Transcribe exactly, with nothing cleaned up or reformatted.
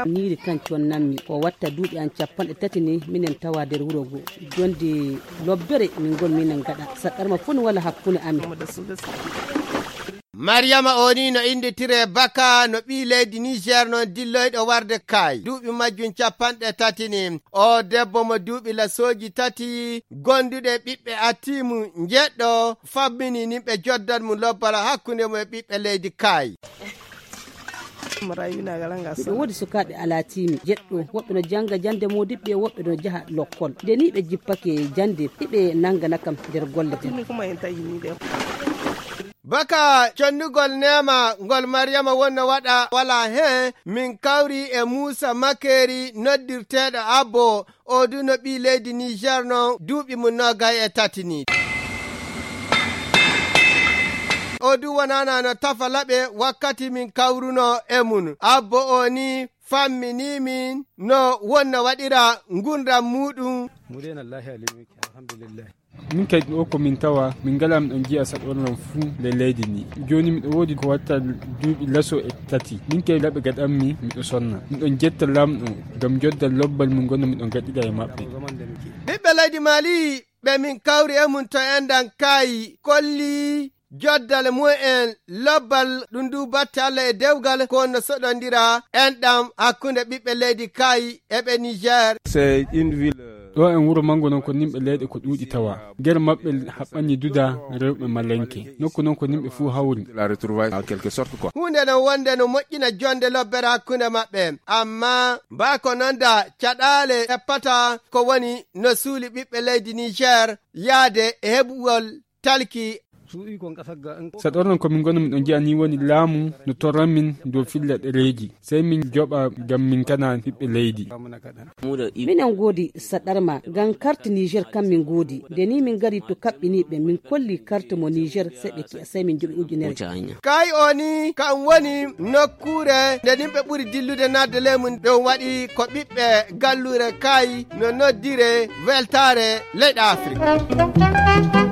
Niiri kan connanmi, o watta duuɓi an cappanɗe tati ni, minen tawa nder wuro ngo. Jonde lobbere min ngon minen ngaɗa. Saɗɗarma fof no wala hakkunde amin. Mariyama o ni no innditiree Baka, no ɓii leydi Niger noon dilloyɗo warde kaay. Duuɓi majjum cappanɗe tati ni. O debbo mo duuɓi lasooji tati, gonduɗe ɓiɓɓe atiimu njeɗɗo, fammini nimɓe joddan mum lobbal hakkunde mum e ɓiɓɓe leydi kaay. Miɗo woodi sukaaɓe alaa tiimi jeɗɗo, woɓɓe no jannga jannde moodibɓe, woɓɓe no njaha lokkol. Nde nii ɓe jippake jannde, hiɓe nanngana kam nder golle ɗen. Baka connugol neema ngol Mariyama wonno waɗa walaa heen, min kawri e Muusa Makeeri noddirteeɗo Abbo, o du no ɓii leydi Niger noon, duuɓi mum noogay e tati ni. O du wonana no tafa laɓe wakkati min kawruno e mum. Abbo o ni fammini min no wonno waɗira ngurndan muuɗum. Murena lahi alimi, alhamdulillah. Min kay ɗo ko min tawa, min ngala miɗon jiya saɗorlan fuu le leydi ni. Jooni miɗo woodi ko watta duuɓi laso e tati. Min kay laɓe gaɗanmi, miɗo sonna. Miɗon jetta Laamɗo ngam jodda lobbal mum ngonno miɗon gaɗida e maɓɓe. Ɓiɓɓe leydi Mali, ɓe min kawri e mum to enɗan kaayi, kolli joddal mumen lobbal, ɗum du batte Alla e dewgal, ko no soɗondira enɗam hakkunde ɓiɓɓe leydi kaayi e ɓe Niger. C'est une ville, euh, Ɗo en wuro mango non ko nimɓe leyɗe ko ɗuuɗi tawa. Nder maɓɓe haɓɓani duda rewɓe malenke. Nokku non ko nimɓe fuu hawri. De la retrouvaille en quelque sorte, quoi. Huunde non wonde no moƴƴina jonde lobbere hakkunde maɓɓe. Amma mbaa ko non da caɗaale eppata ko woni no suuli ɓiɓɓe leydi Niger yaade e heɓugol talki. Saɗornon ko min ngoni miɗo njiya ni woni laamu no torran min dow filla ɗereeji. Sey min joɓa ngam min kana ɓiɓɓe leydi. Minen ngoodi saɗarma ngam karte Niger kam min ngoodi. Nde ni min ngari to kaɓɓiniiɓe min kolli karte mo Niger sey ɓe ki'a sey min joɓi ujunere. Kay o ni kam woni nokkuure nde yimɓe ɓuri dillude naatde ley mum. Ɗum waɗi ko ɓiɓɓe galluure kay no noddire weltaare leyɗe Afrik.